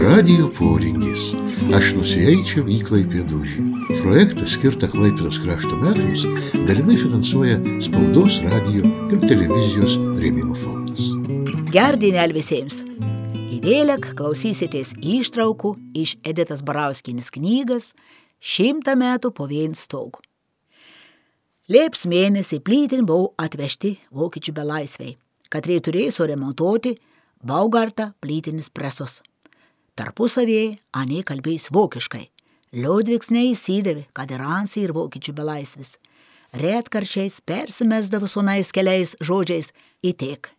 Radijo poringis. Aš nusieičiau į Klaipėdūžį. Projektą skirtą Klaipėdos krašto metams dalinai finansuoja Spaudos, radijo ir televizijos rėmimo fondas. Gerdienel visiems. Įvėlek klausysitės ištraukų iš Editos Barauskienės knygas 100 metų po vien stogu. Lieps mėnesį plytin buvo atvežti vokiečių belaisviai, kad turėjo suremontuoti Baugartą plytinis presos. Tarpusavėje anei kalbėjus vokiškai. Liudviks neįsidavė, kad ir Ansį ir vokiečių belaisvis. Retkarčiais persimesdavo sunais keliais žodžiais įtiek.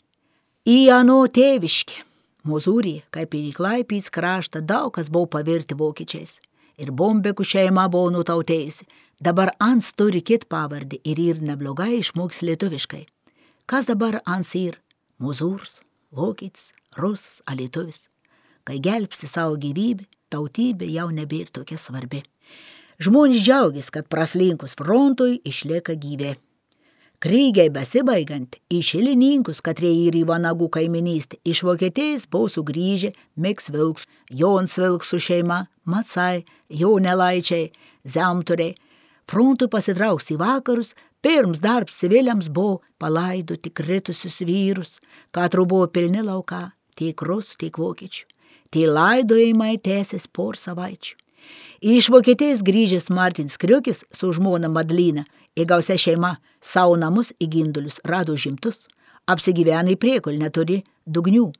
Į ano tėviškį. Mozūrį, kaip ir į Klaipėdos kraštą, daug kas buvo pavirti vokiečiais. Ir Bombekų šeima buvo nutautėjusi. Dabar Ans turi kit pavardį ir neblogai išmoks lietuviškai. Kas dabar Ans ir? Mozūrs, vokietis, rusas, lietuvis. Kai gelbsti savo gyvybę, tautybė jau nebėra tokia svarbi. Žmonės džiaugiasi, kad praslinkus frontui išlieka gyvė. Krygiai besibaigant, į Šilininkus, katrie ir į Vanagų kaiminystę, iš Vokietijos buvo sugrįžę Miks Vilks, Jons Vilks su šeima, Macai, Jonelaičiai, Zemturiai. Frontui pasitrauks į vakarus, pirms darbs civiliams buvo palaidoti kritusius vyrus, katru buvo pilni lauka, tiek rusų, tiek vokiečių. Tie laidojimai tęsės por savaičių. Iš Vokietijos grįžęs Martins Kriukis su žmona Madlina ir gausia šeima savo namus į Gindulius rado žimtus, apsigyvena į Priekulį netoli Dugnių.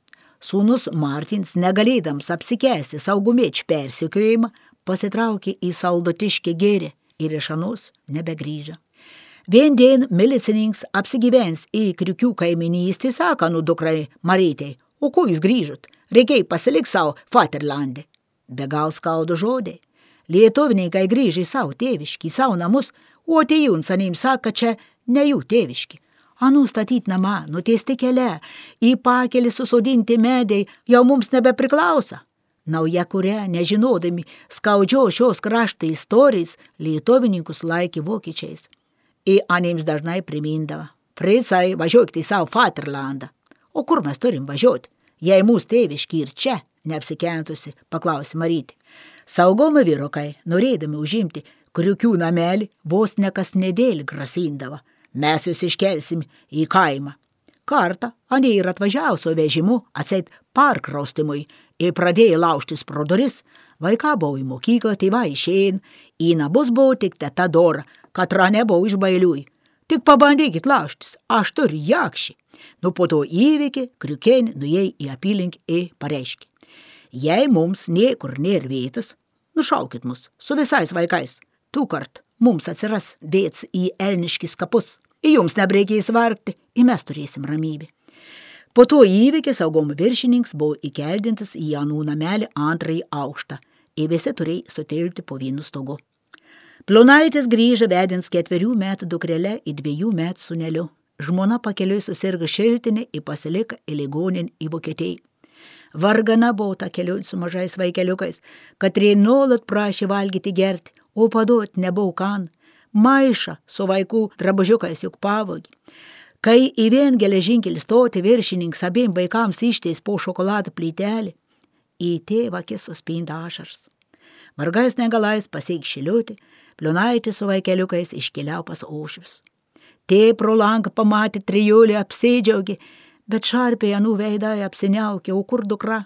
Sūnus Martins, negalėdams apsikęsti saugumiečių persekiojimą, pasitraukė į Saldotiškę gėrį ir iš anos nebegrįžo. Vien dien milicininkas apsigyvens į Kriukių kaiminystę, sako dukrai Marytei, o ko jūs grįžot? Reikėjo pasilik savo Vaterlande. Be gal skaudu žodžiai. Lietuvininkai grįžė į savo tėviškį, į savo namus, o atėjūns anim sako, čia ne jų tėviški. Anų statyt namą, nutiesti kelią, į pakelį susodinti medai jau mums nebepriklauso. Nauja kuria, nežinodami skaudžio šios krašto istorijos, lietuvininkus laikė vokiečiais. Ir anims dažnai primindavo. Fricai, važiuokite į savo Vaterlandą. O kur mes turim važiuoti? Jei mūsų tėviški ir čia, neapsikentusi, paklausė Marytė. Saugomi vyrukai, norėdami užimti Kriukių namelį, vos nekas nedėlį grasindavo. Mes jūs iškelsim į kaimą. Kartą anie ir atvažiavusio vežimu atseit parkraustimui ir pradėjo laužtis pro duris. Vaiką buvo į mokyklą, tėvai išėjin, į namus buvo tik teta Dora, katra nebuvo iš bailiui. Tik pabandykit laužtis, aš turiu jakšį. Nu po to įvykį Kriukienė nuėjo į apylinkį ir pareiškė. Jei mums niekur nėra vietos, nušaukit mus su visais vaikais. Tūkart mums atsiras vietas į Elniškis kapus. Ir jums nebreikės vargti, ir mes turėsim ramybę. Po to įvykį saugumo viršininkas buvo įkeldintas į anų namelį antrąjį aukštą. Ir visi turėjo sutilpti po vienu stogu. Plonaitis grįžo vedins 4 metų dukrele ir 2 metų sūneliu. Žmona pakeliui susirgo šiltinį ir pasilika į ligoninę į Vokietiją. Vargana buvo ta keliui su mažais vaikeliukais, katrie nuolat prašė valgyti gerti, o paduot nebuvo kan. Maišą su vaikų drabužiukais juk pavogė. Kai į vien geležinkelį stoti viršininkas abiem vaikams ištės po šokoladą plytelį, į tėvą akis suspinda ašaras. Vargais negalais pasiek šiliutį, Plionaitis su vaikeliukais iškeliau pas Aušvius. Tė pro langą pamatė trijulį, apsidžiaugė, bet šarpiai anų veidai apsiniaukė, o kur dukra?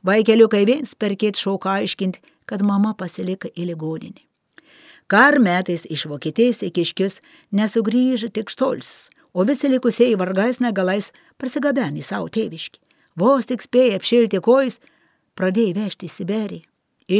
Vaikeliukai viens per kitą šauką aiškinti, kad mama pasilika į ligoninę. Kar metais iš Vokietijos į Kiškius nesugrįžo tik Štolcis, o visi likusieji vargais negalais prasigabenė savo tėviškį. Vos tik spėjo apšilti kojas, pradėjo vežti į Siberiją.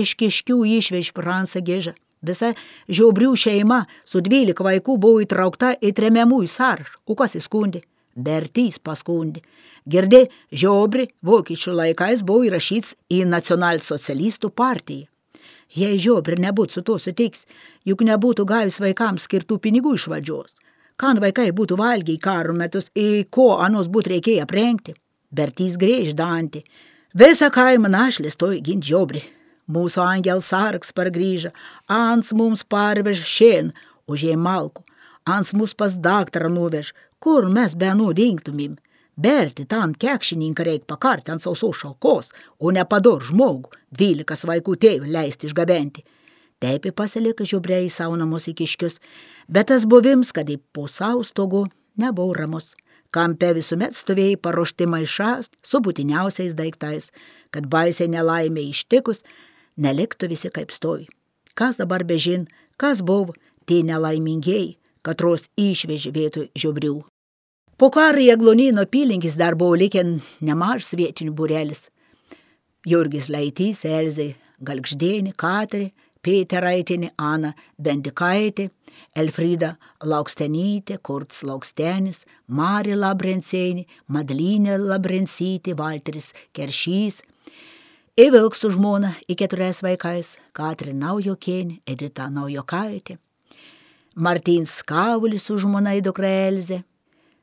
Iš Kiškių išvež Fransą Gėžą. Visa Žiobrių šeima su 12 vaikų buvo įtraukta į tremiamųjų sąrašą. O kas įskundė? Bertys paskundė. Girdė, Žiobri vokiečių laikais buvo įrašyts į nacionalsocialistų partiją. Jei Žiobri nebūtų su to sutiks, juk nebūtų gavęs vaikams skirtų pinigų iš valdžios. Kan vaikai būtų valgę į karo metus, į ko anos būtų reikėję aprengti? Bertys grėž dantį. Visą kaimą našlės toj gint Žiobri. Mūsų angels sargs pargrįža, Ans mums parvež šien, užėjai malku, Ans mus pas daktarą nuvež, kur mes be nudingtumim. Berti tan kekšininką reik pakarti ant sausos šalkos, o nepador žmogų, 12 vaikų tėvų leisti išgabenti. Taip pasilika žiubriai į savo namus į kiškius, bet tas buvims, kad į po savo stogu nebuvo ramus. Kampe visuomet stovėjai paruošti maišas su būtiniausiais daiktais, kad baisiai nelaimė ištikus, neliktų visi kaip stovi. Kas dabar bežin, kas buvo, tie nelaimingieji, katros išvežė vietoj žiobrių. Po karo į Aglonėnų apylinkes dar buvo likę nemažas vietinių būrelis. Jurgis Laitys, Elzė Galgždėnė, Katerė, Pėteraitienė, Ana Bendikaitė, Elfrida Laukstenytė, Kurts Laukstenis, Marija Labrencienė, Madlinė Labrencytė, Valteris Keršys, Įvilks su žmona į 4 vaikais, Katrė Naujokienė, Edita Naujokaitė, Martins Kavulis su žmona į dukrą Elzę.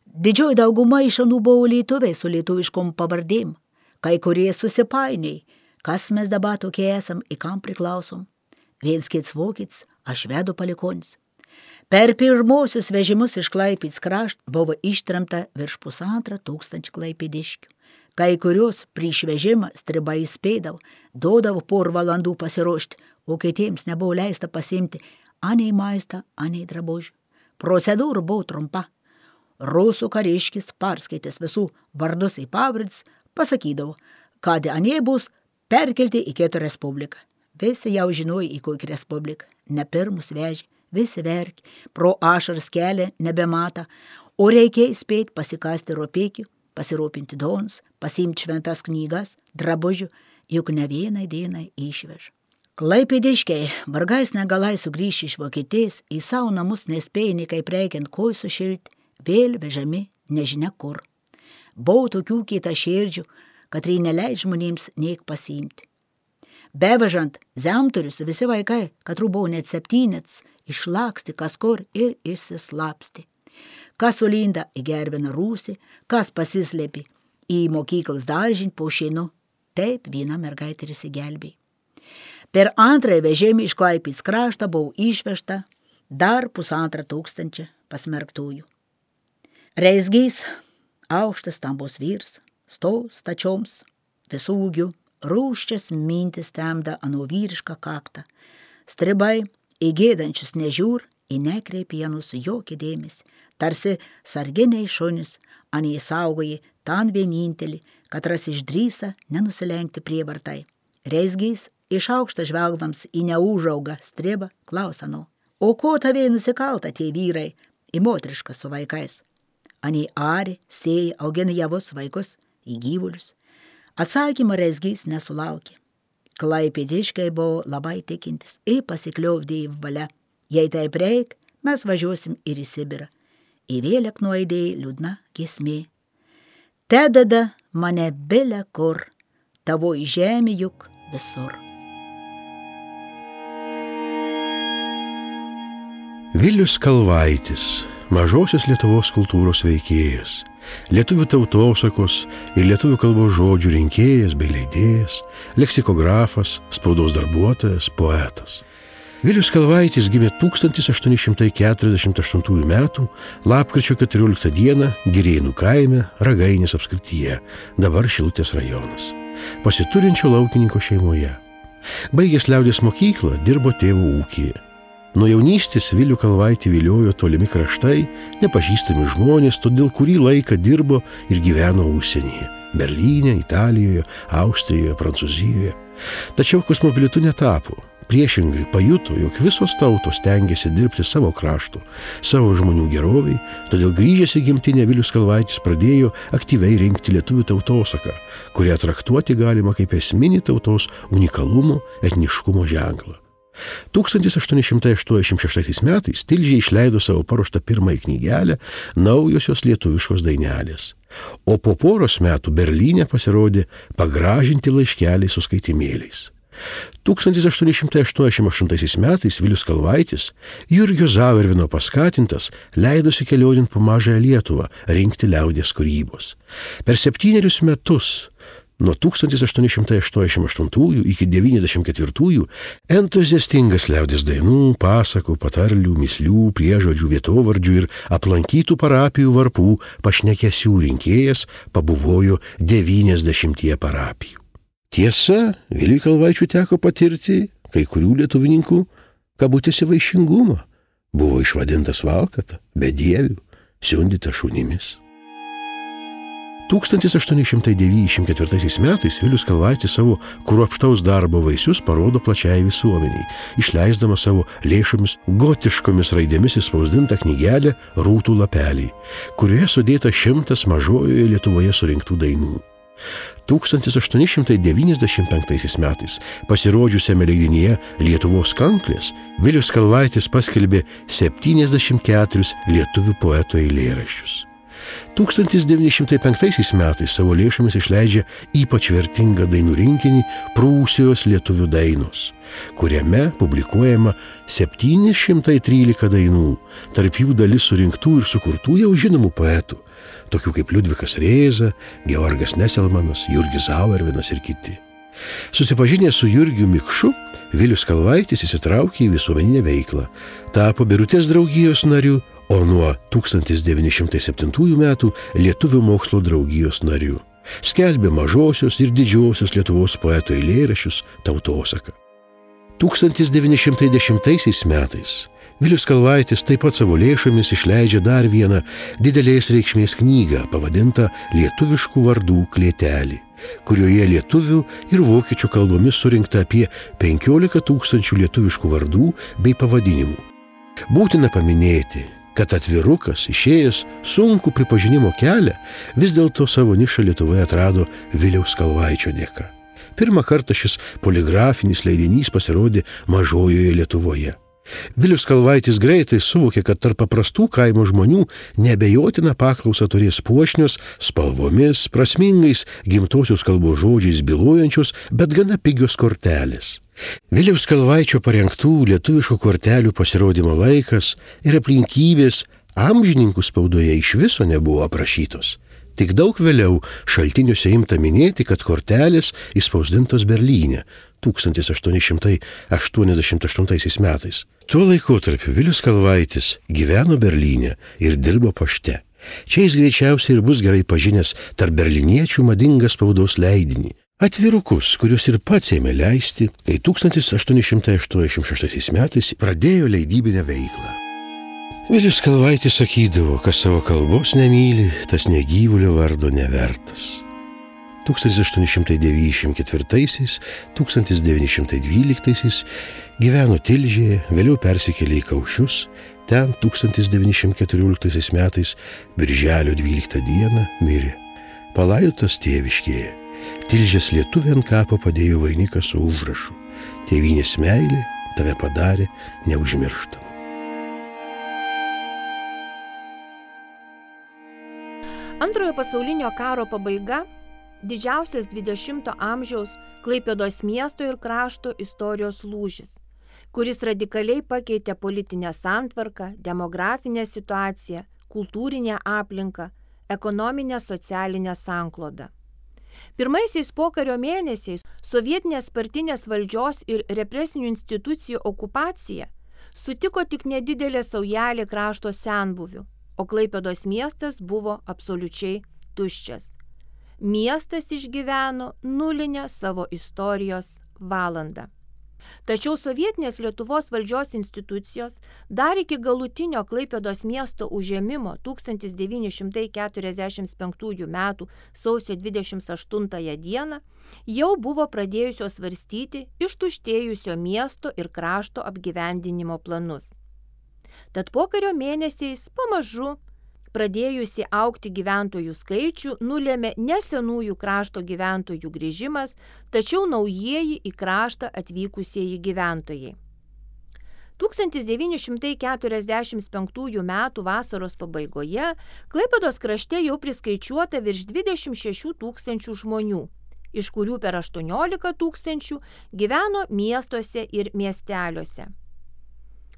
Didžioji dauguma iš anų buvo lietuviai su lietuviškom pavardėm, kai kurie susipainiai, kas mes dabar tokie esam, į kam priklausom. Viens kits vokietis, aš švedų palikonis. Per pirmosius vežimus iš Klaipėdos krašto buvo ištremta virš 1500 klaipėdiškių. Kai kurios prieš vežimą stribai įspėdavo, duodavo porą valandų pasiruošti, o kitiems nebuvo leista pasiimti anei maistą, anei drabužių. Procedūra buvo trumpa. Rusų kariškis, perskaitęs visų vardus į pavardės, pasakydavo, kad anie bus perkelti į Kietų Respubliką. Visi jau žinojo, į kokį Respubliką. Ne pirmus vežė, visi verkė, pro ašaras kelią nebemata, o reikėjo spėti pasikasti ropėkių, pasirūpinti dons, pasiimti šventas knygas, drabužių, juk ne vienai dienai išvež. Klaipėdiškiai vargais negalai sugrįžti iš Vokietijos, į savo namus nespėjo nei kaip reikiant kojų sušilti, vėl vežami nežinia kur. Buvo tokių kietaširdžių, kad neleidžia žmonėms niek pasiimti. Bevežant zemturius visi vaikai, katrų buvo net 7, išlaksti kas kur ir išsislapsti. Kas sulinda į gerviną rūsį, kas pasislėpi į mokyklas daržinį po šeinu, taip viena mergaitė ir įsigelbėjo. Per antrąjį vežimą iš Klaipėdos krašto buvo išvežta dar 1500 pasmerktųjų. Reizgys, aukštas stambus vyrs, stačioms, visų ūgių, rūščias mintis temda anu vyrišką kaktą. Stribai į gėdančius nežiūr, į nekreipienus jokį dėmesį, tarsi sarginiai šunis, anie saugoji tan vienintelį, kad ras išdrįsa nenusilenkti prievartai. Reizgys iš aukštą žvelgdams į neužaugą stribą klausa nu, o ko tavai nusikalta tie vyrai į moterišką su vaikais? Anie ari, sėja, augina javus vaikus į gyvulius. Atsakymą Reizgys nesulaukė. Klaipėdiškiai buvo labai tikintis ir pasikliovdė į valia. Jei taip reik, mes važiuosim ir į Sibirą. Į vėlek nuaidėjo liūdna giesmė. Tedada mane bile kur, tavoji žemė juk visur. Vilius Kalvaitis, mažosios Lietuvos kultūros veikėjas, lietuvių tautosakos ir lietuvių kalbos žodžių rinkėjas bei leidėjas, leksikografas, spaudos darbuotojas, poetas. Vilius Kalvaitis gimė 1848 metų lapkričio 14 dieną Girėnų kaime Ragainės apskrityje, dabar Šilutės rajonas, pasiturinčio laukininko šeimoje. Baigęs liaudies mokyklą, dirbo tėvų ūkyje. Nuo jaunystės Vilių Kalvaitį viliojo tolimi kraštai, nepažįstami žmonės, todėl kurį laiką dirbo ir gyveno užsienyje – Berlyne, Italijoje, Austrijoje, Prancūzijoje. Tačiau kosmopolitu netapo. Priešingai pajuto, jog visos tautos stengiasi dirbti savo kraštų, savo žmonių geroviai, todėl grįžęs į gimtinę Vilius Kalvaitis pradėjo aktyviai rinkti lietuvių tautosaką, kurią traktuoti galima kaip esminį tautos unikalumo, etniškumo ženklą. 1886 metais Tilžėje išleido savo paruoštą pirmąją knygelę Naujosios lietuviškos dainelės, o po poros metų Berlyne pasirodė Pagražinti laiškeliai su skaitimėliais. 1888 metais Vilius Kalvaitis, Jurgio Zauervino paskatintas, leidosi kelionint po mažąją Lietuvą rinkti liaudies kūrybos. Per 7 metus Nuo 1888 iki 1994 entuziastingas liaudies dainų, pasakų, patarlių, mįslių, priežodžių, vietovardžių ir aplankytų parapijų varpų pašnekesių rinkėjas pabuvojo 90 parapijų. Tiesa, Viliui Kalvaičiui teko patirti kai kurių lietuvininkų kabutėse vaišingumą. Buvo išvadintas valkata, bedievių, siundyta šunimis. 1894 metais Vilius Kalvaitis savo kruopštaus darbo vaisius parodo plačiai visuomeniai, išleisdamas savo lėšomis gotiškomis raidėmis įspausdintą knygelę Rūtų lapeliai, kurioje sudėta 100 mažojoje Lietuvoje surinktų dainų. 1895 metais pasirodžiusiame leidinyje Lietuvos kanklės Vilius Kalvaitis paskelbė 74 lietuvių poeto eilėraščius. 1905 metais savo lėšomis išleidžia ypač vertingą dainų rinkinį Prūsijos lietuvių dainos, kuriame publikuojama 713 dainų, tarp jų dalis surinktų ir sukurtų jau žinomų poetų, tokių kaip Liudvikas Rėza, Georgas Neselmanas, Jurgis Zauervenas ir kiti. Susipažinęs su Jurgiu Mikšu, Vilius Kalvaitis įsitraukė į visuomeninę veiklą, tapo Birutės draugijos nariu, o nuo 1907 metų Lietuvių mokslo draugijos nariu. Skelbė mažosios ir didžiosios Lietuvos poeto eilėraščius, tautosaką. 1910 metais Vilius Kalvaitis taip pat savo lėšomis išleidžia dar vieną didelės reikšmės knygą pavadintą Lietuviškų vardų klėtelį, kurioje lietuvių ir vokiečių kalbomis surinkta apie 15 000 lietuviškų vardų bei pavadinimų. Būtina paminėti, kad atvirukas, išėjęs sunkų pripažinimo kelią, vis dėlto savo nišą Lietuvoje atrado Viliaus Kalvaičio dėka. Pirmą kartą šis poligrafinis leidinys pasirodė mažojoje Lietuvoje. Vilius Kalvaitis greitai suvokė, kad tarp paprastų kaimo žmonių neabejotina paklausą turės puošnios, spalvomis, prasmingais gimtosios kalbos žodžiais bylojančios, bet gana pigios kortelės. Viliaus Kalvaičio parengtų lietuviškų kortelių pasirodymo laikas ir aplinkybės amžininkų spaudoje iš viso nebuvo aprašytos. Tik daug vėliau šaltiniuose imta minėti, kad kortelės įspausdintos Berlyne 1888 metais. Tuo laikotarpiu Vilius Kalvaitis gyveno Berlyne ir dirbo pašte. Čia jis greičiausiai ir bus gerai pažinęs tarp berliniečių madingą spaudos leidinį. Atvirukus, kuriuos ir pats ėmė leisti, kai 1886 metais pradėjo leidybinę veiklą. Vilius Kalvaitis sakydavo, kas savo kalbos nemyli, tas negyvulio vardo nevertas. 1894–1912 gyveno Tilžėje, vėliau persikėlė į Kaušius, ten 1914 metais birželio 12 dieną mirė. Palaidotas tėviškėje. Tilžės lietuvė ant kapo padėjo vainiką su užrašu: Tėvynės meilė tave padarė neužmirštamą. Antrojo pasaulinio karo pabaiga – didžiausias 20 amžiaus Klaipėdos miesto ir krašto istorijos lūžis, kuris radikaliai pakeitė politinę santvarką, demografinę situaciją, kultūrinę aplinką, ekonominę socialinę sanklodą. Pirmaisiais pokario mėnesiais sovietinės partinės valdžios ir represinių institucijų okupacija sutiko tik nedidelė saujelė krašto senbuvių, o Klaipėdos miestas buvo absoliučiai tuščias. Miestas išgyveno nulinę savo istorijos valandą. Tačiau sovietinės Lietuvos valdžios institucijos dar iki galutinio Klaipėdos miesto užėmimo 1945 m. sausio 28 dieną jau buvo pradėjusios svarstyti ištuštėjusio miesto ir krašto apgyvendinimo planus. Tad pokario mėnesiais pamažu pradėjusi augti gyventojų skaičių nulėmė ne senųjų krašto gyventojų grįžimas, tačiau naujieji į kraštą atvykusieji gyventojai. 1945 m. vasaros pabaigoje Klaipėdos krašte jau priskaičiuota virš 26 000 žmonių, iš kurių per 18 000 gyveno miestuose ir miesteliuose.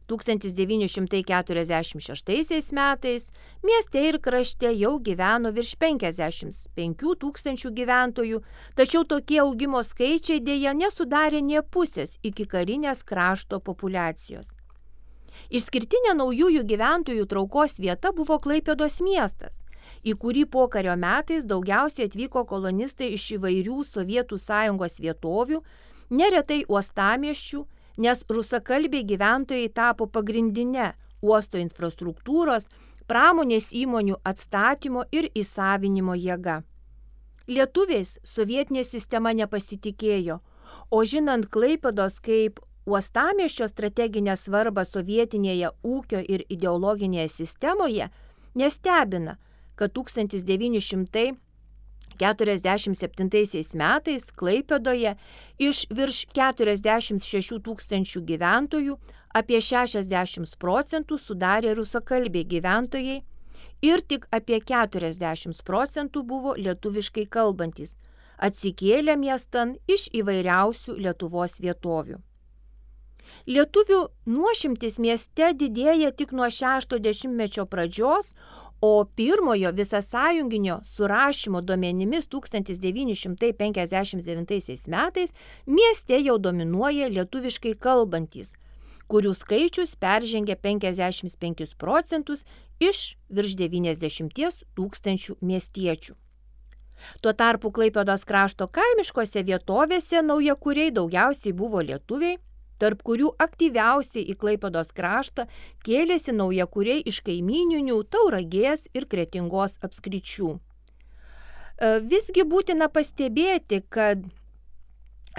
1946 metais mieste ir krašte jau gyveno virš 55 tūkstančių gyventojų, tačiau tokie augimo skaičiai dėja nesudarė nė pusės iki karinės krašto populiacijos. Išskirtinė naujųjų gyventojų traukos vieta buvo Klaipėdos miestas, į kurį pokario metais daugiausiai atvyko kolonistai iš įvairių Sovietų Sąjungos vietovių, neretai uostamiesčių, nes rusakalbiai gyventojai tapo pagrindinė uosto infrastruktūros, pramonės įmonių atstatymo ir įsavinimo jėga. Lietuviais sovietinė sistema nepasitikėjo, o žinant Klaipėdos kaip uostamiesčio strateginę svarbą sovietinėje ūkio ir ideologinėje sistemoje, nestebina, kad 1947 metais Klaipėdoje iš virš 46 tūkstančių gyventojų apie 60% sudarė rusakalbiai gyventojai ir tik apie 40% buvo lietuviškai kalbantys, atsikėlę miestan iš įvairiausių Lietuvos vietovių. Lietuvių nuošimtis mieste didėja tik nuo 60-mečio pradžios, o pirmojo visasąjunginio surašymo duomenimis 1959 metais mieste jau dominuoja lietuviškai kalbantys, kurių skaičius peržengia 55% iš virš 90 tūkstančių miestiečių. Tuo tarpu Klaipėdos krašto kaimiškose vietovėse naujakuriai daugiausiai buvo lietuviai, tarp kurių aktyviausiai į Klaipėdos kraštą kėlėsi naujakuriai iš kaimyninių Tauragės ir Kretingos apskričių. Visgi būtina pastebėti, kad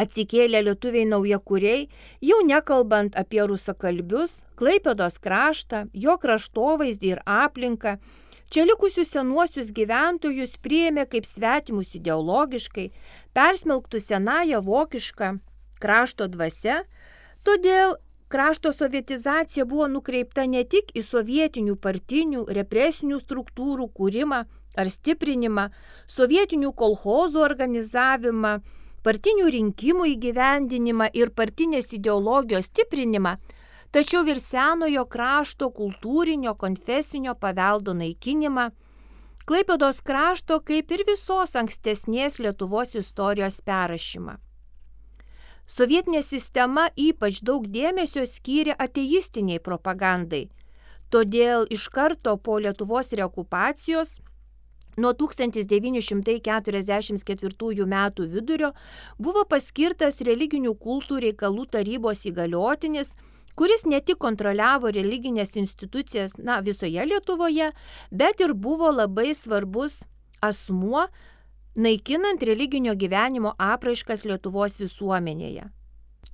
atsikėlę lietuviai naujakuriai, jau nekalbant apie rusakalbius, Klaipėdos kraštą, jo kraštovaizdį ir aplinką, čia likusius senuosius gyventojus priėmė kaip svetimus ideologiškai, persmelktus senąją vokišką krašto dvasia. Todėl krašto sovietizacija buvo nukreipta ne tik į sovietinių partinių represinių struktūrų kūrimą ar stiprinimą, sovietinių kolchozų organizavimą, partinių rinkimų įgyvendinimą ir partinės ideologijos stiprinimą, tačiau ir senojo krašto kultūrinio konfesinio paveldo naikinimą, Klaipėdos krašto kaip ir visos ankstesnės Lietuvos istorijos perrašymą. Sovietinė sistema ypač daug dėmesio skyrė ateistiniai propagandai, todėl iš karto po Lietuvos reokupacijos nuo 1944 metų vidurio buvo paskirtas religinių kultų reikalų tarybos įgaliotinis, kuris ne tik kontroliavo religinės institucijas visoje Lietuvoje, bet ir buvo labai svarbus asmuo, naikinant religinio gyvenimo apraiškas Lietuvos visuomenėje.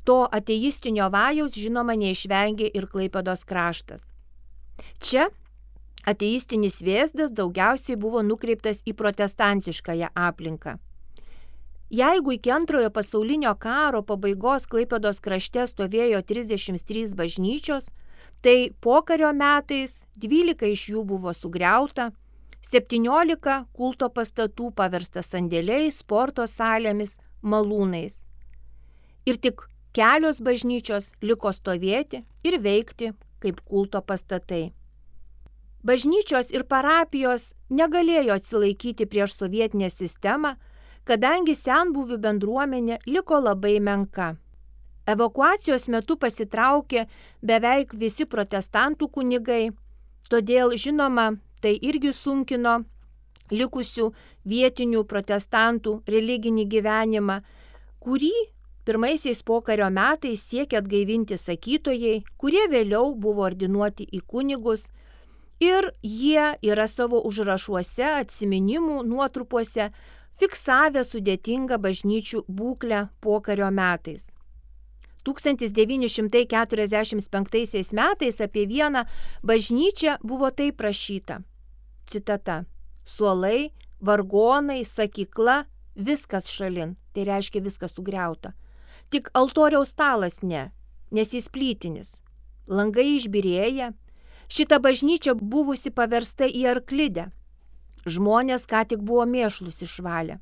To ateistinio vajaus žinoma neišvengė ir Klaipėdos kraštas. Čia ateistinis vėzdas daugiausiai buvo nukreiptas į protestantiškąją aplinką. Jeigu iki Antrojo pasaulinio karo pabaigos Klaipėdos krašte stovėjo 33 bažnyčios, tai pokario metais 12 iš jų buvo sugriauta, 17 kulto pastatų paversta sandėliais, sporto salėmis, malūnais. Ir tik kelios bažnyčios liko stovėti ir veikti kaip kulto pastatai. Bažnyčios ir parapijos negalėjo atsilaikyti prieš sovietinę sistemą, kadangi senbuvių bendruomenė liko labai menka. Evakuacijos metu pasitraukė beveik visi protestantų kunigai, todėl žinoma, tai irgi sunkino likusių vietinių protestantų religinį gyvenimą, kurį pirmaisiais pokario metais siekė atgaivinti sakytojai, kurie vėliau buvo ordinuoti į kunigus ir jie yra savo užrašuose, atsiminimų nuotrupuose fiksavę sudėtingą bažnyčių būklę pokario metais. 1945 metais apie vieną bažnyčią buvo taip rašyta. Citata. Suolai, vargonai, sakykla, viskas šalin. Tai reiškia viskas sugriauta. Tik altoriaus stalas ne, nes jis plytinis. Langai išbyrėję. Šita bažnyčia buvusi paversta į arklidę. Žmonės ką tik buvo mėšlus išvalę.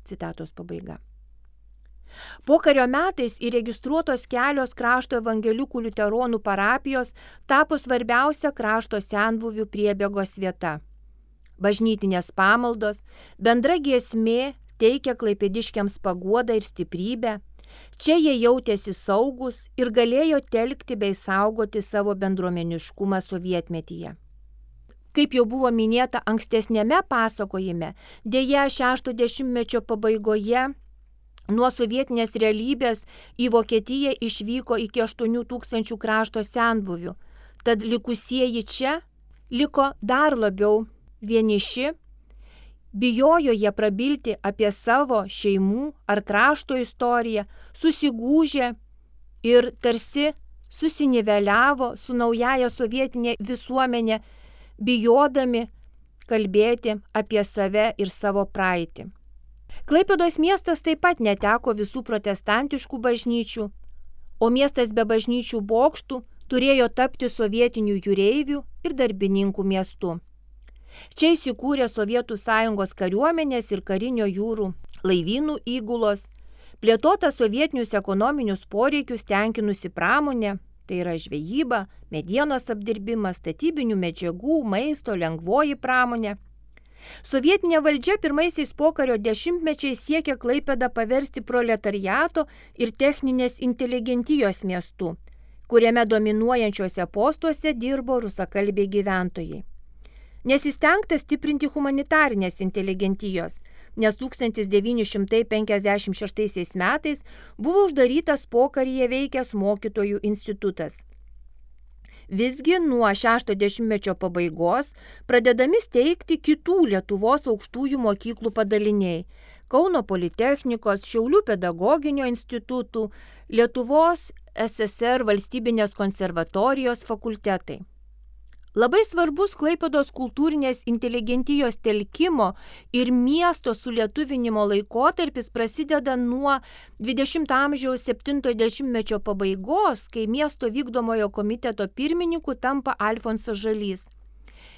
Citatos pabaiga. Pokario metais įregistruotos kelios krašto evangelikų liuteronų parapijos tapo svarbiausia krašto senbuvių priebėgos vieta. Bažnytinės pamaldos, bendra giesmė teikia klaipėdiškiams paguodą ir stiprybę. Čia jie jautėsi saugus ir galėjo telkti bei saugoti savo bendruomeniškumą sovietmetyje. Kaip jau buvo minėta ankstesnėme pasakojime, deja 60-mečio pabaigoje nuo sovietinės realybės į Vokietiją išvyko iki 8 000 krašto senbuvių, tad likusieji čia liko dar labiau vieniši, bijojo jie prabilti apie savo šeimų ar krašto istoriją, susigūžė ir tarsi susiniveliavo su naująja sovietinė visuomenė, bijodami kalbėti apie save ir savo praeitį. Klaipėdos miestas taip pat neteko visų protestantiškų bažnyčių, o miestas be bažnyčių bokštų turėjo tapti sovietinių jūreivių ir darbininkų miestu. Čia įsikūrė Sovietų Sąjungos kariuomenės ir karinio jūrų laivynų įgulos, plėtota sovietinius ekonominius poreikius tenkinusi pramonė, tai yra žvejyba, medienos apdirbimas, statybinių medžiagų, maisto, lengvoji pramonė. Sovietinė valdžia pirmaisiais pokario dešimtmečiais siekė Klaipėdą paversti proletariato ir techninės inteligentijos miestu, kuriame dominuojančiuose postuose dirbo rusakalbiai gyventojai. Nesistengta stiprinti humanitarinės inteligentijos, nes 1956 metais buvo uždarytas pokaryje veikęs mokytojų institutas. Visgi nuo 60-mečio pabaigos pradedami steigti kitų Lietuvos aukštųjų mokyklų padaliniai – Kauno Politechnikos, Šiaulių pedagoginio institutų, Lietuvos SSR valstybinės konservatorijos fakultetai. Labai svarbus Klaipėdos kultūrinės inteligentijos telkimo ir miesto sulietuvinimo laikotarpis prasideda nuo 20 amžiaus 70-mečio pabaigos, kai miesto vykdomojo komiteto pirmininku tampa Alfonsas Žalys.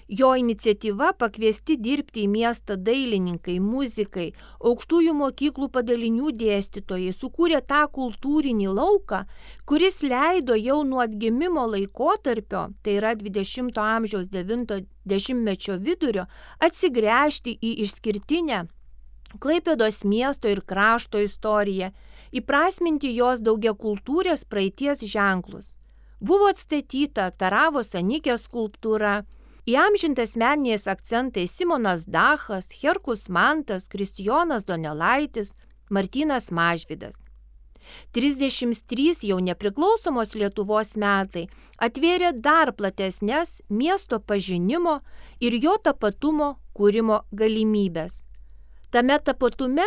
Jo iniciatyva pakviesti dirbti į miestą dailininkai, muzikai, aukštųjų mokyklų padalinių dėstytojai sukūrė tą kultūrinį lauką, kuris leido jau nuo atgimimo laikotarpio, tai yra 20 amžiaus 90-mečio vidurio, atsigręžti į išskirtinę Klaipėdos miesto ir krašto istoriją, įprasminti jos daugiakultūrės praeities ženklus. Buvo atstatyta Taravos Anikės skulptūra, įamžintas meniniais akcentais Simonas Dachas, Herkus Mantas, Kristijonas Donelaitis, Martynas Mažvydas. 33 jau nepriklausomos Lietuvos metai atvėrė dar platesnės miesto pažinimo ir jo tapatumo kūrimo galimybės. Tame tapatume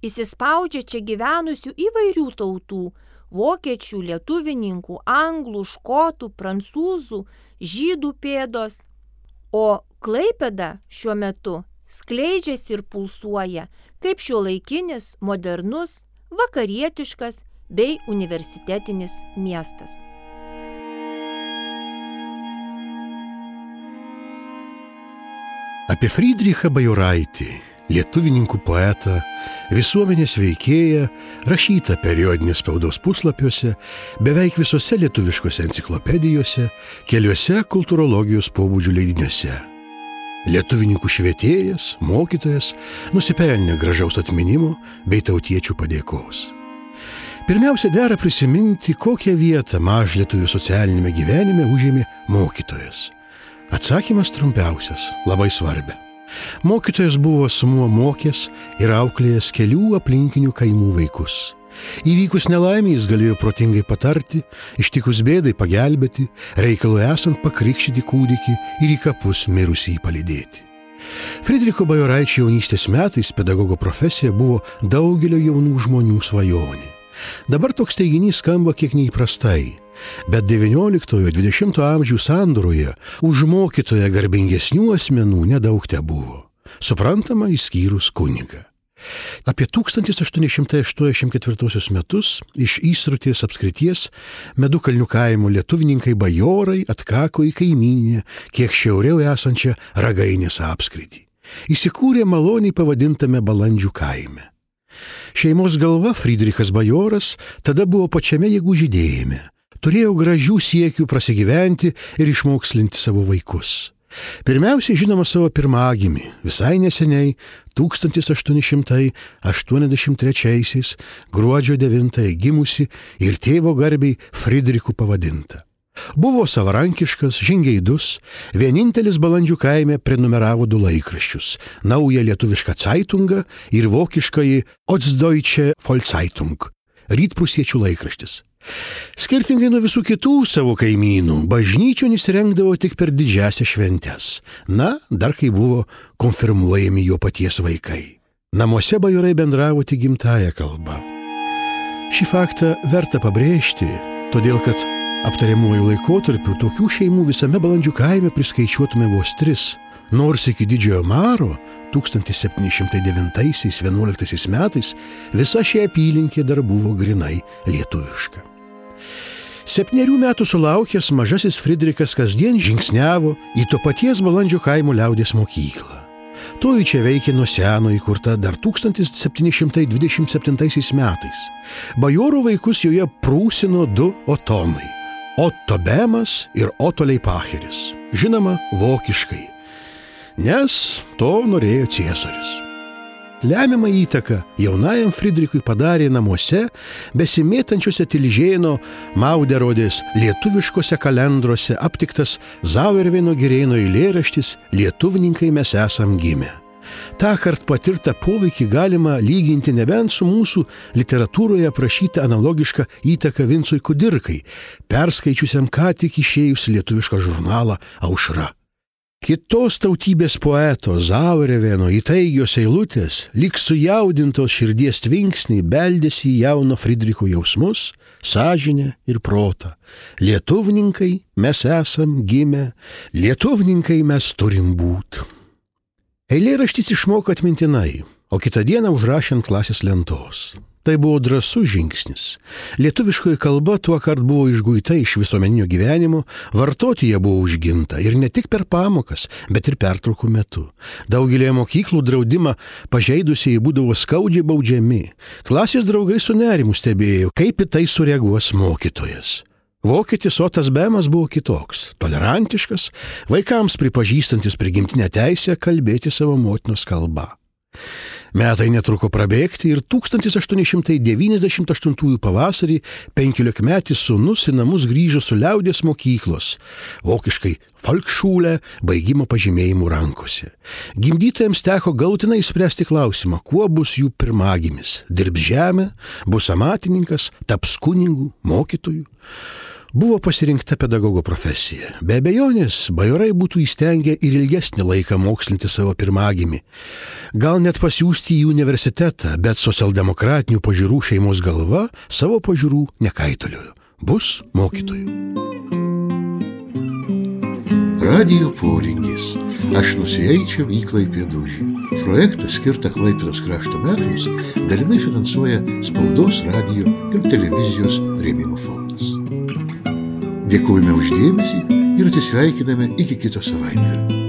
įsispaudžia čia gyvenusių įvairių tautų – vokiečių, lietuvininkų, anglų, škotų, prancūzų, žydų pėdos. O Klaipėda šiuo metu skleidžiasi ir pulsuoja kaip šiuolaikinis, modernus, vakarietiškas bei universitetinis miestas. Apie Frydrichą Bajoraitį, lietuvininkų poetą, visuomenės veikėją, rašytą periodinės spaudos puslapiuose, beveik visose lietuviškose enciklopedijose, keliuose kultūrologijos pobūdžių leidiniuose. Lietuvininkų švietėjas, mokytojas, nusipelnė gražaus atminimo bei tautiečių padėkos. Pirmiausia, dera prisiminti, kokią vietą mažlietuvių socialinėme gyvenime užėmė mokytojas. Atsakymas trumpiausias, labai svarbia. Mokytojas buvo asmuo mokęs ir auklėjęs kelių aplinkinių kaimų vaikus. Įvykus nelaimei jis galėjo protingai patarti, ištikus bėdai pagelbėti, reikalui esant pakrikštyti kūdikį ir į kapus mirusį palydėti. Frydricho Bajoraičio jaunystės metais pedagogo profesija buvo daugelio jaunų žmonių svajonė. Dabar toks teiginys skamba kiek neįprastai, bet 19–20 amžių sandūroje už mokytoją garbingesnių asmenų nedaug tebuvo. Suprantama, išskyrus kunigą. Apie 1884 metus iš Įsrutės apskrities Medukalnių kaimo lietuvininkai bajorai atkako į kaimyninę, kiek šiauriau esančią Ragainės apskritį. Įsikūrė maloniai pavadintame Balandžių kaime. Šeimos galva Friedrichas bajoras tada buvo pačiame jėgų žydėjime. Turėjo gražių siekių prasigyventi ir išmokslinti savo vaikus. Pirmiausiai žinoma savo pirmagimį, visai neseniai 1883 gruodžio 9 gimusi ir tėvo garbiai Friedrichu pavadinta. Buvo savarankiškas, žingeidus, vienintelis Balandžių kaime prenumeravo 2 laikraščius – naują lietuvišką Zeitungą ir vokiškąjį Ostdeutsche Volkszeitung – rytprūsiečių laikraštis. Skirtingai nuo visų kitų savo kaimynų, bažnyčion jis rengdavo tik per didžiasias šventes. Na, dar kai buvo konfirmuojami jo paties vaikai. Namuose bajorai bendravo tik gimtąja kalba. Šį faktą verta pabrėžti, todėl kad aptariamuoju laikotarpiu tokių šeimų visame Balandžių kaime priskaičiuotume vos 3, nors iki Didžiojo Maro 1709–11 metais visa šia apylinkė dar buvo grinai lietuviška. 7 metų sulaukęs mažasis Friedrichas kasdien žingsniavo į to paties Balandžių kaimo liaudies mokyklą. Toji čia veikė nuo seno įkurta dar 1727 metais. Bajorų vaikus joje prūsino 2 otonai – Otto Bemas ir Otto Leipacheris, žinoma vokiškai, nes to norėjo Ciesorius. Lemiamą įtaką jaunajam Friedrichui padarė namuose besimėtančiuose Tilžėno Mauderodės lietuviškose kalendruose aptiktas Zauerveino Girėno eilėraštis Lietuvininkai mes esam gimę. Tąkart patirtą poveikį galima lyginti nebent su mūsų literatūroje aprašyta analogiška įtaka Vincui Kudirkai, perskaičiusiam ką tik išėjus lietuvišką žurnalą Aušra. Kitos tautybės poeto Zauerveino įtaigios eilutės, lyg sujaudintos širdies tvinksniai, beldėsi į jauno Friedricho jausmus, sąžinę ir protą. Lietuvininkai mes esam gimę, lietuvininkai mes turim būt. Eilėraštis išmoko atmintinai, o kitą dieną užrašė ant klasės lentos. Tai buvo drąsus žingsnis. Lietuviškoji kalba tuokart buvo išguita iš visuomeninio gyvenimo, vartoti ją buvo užginta ir ne tik per pamokas, bet ir pertraukų metu. Daugelėje mokyklų draudimą pažeidusieji būdavo skaudžiai baudžiami. Klasės draugai su nerimu stebėjo, kaip į tai sureaguos mokytojas. Vokietis Otas Bemas buvo kitoks, tolerantiškas, vaikams pripažįstantis prigimtinę teisę kalbėti savo motinos kalba. Metai netruko prabėgti ir 1898 pavasarį 15-metis sūnus į namus grįžo su liaudies mokyklos, vokiškai Volksschule, baigimo pažymėjimų rankose. Gimdytojams teko galutinai spręsti klausimą, kuo bus jų pirmagimis – dirbs žemę, bus amatininkas, taps kunigu, mokytoju. Buvo pasirinkta pedagogo profesija. Be abejonės, bajorai būtų įstengę ir ilgesnį laiką mokslinti savo pirmagimį. Gal net pasiųsti į universitetą, bet socialdemokratinių pažiūrų šeimos galva savo pažiūrų nekaitoliojo. Bus mokytoju. Radijo poringis. Aš nusieičiau į Klaipėdūžį. Projektą skirtą Klaipėdos krašto metams dalinai finansuoja Spaudos, radijo ir televizijos rėmimo fondas. Dėkojame už dėmesį ir atsisveikiname iki kito savaitgalio.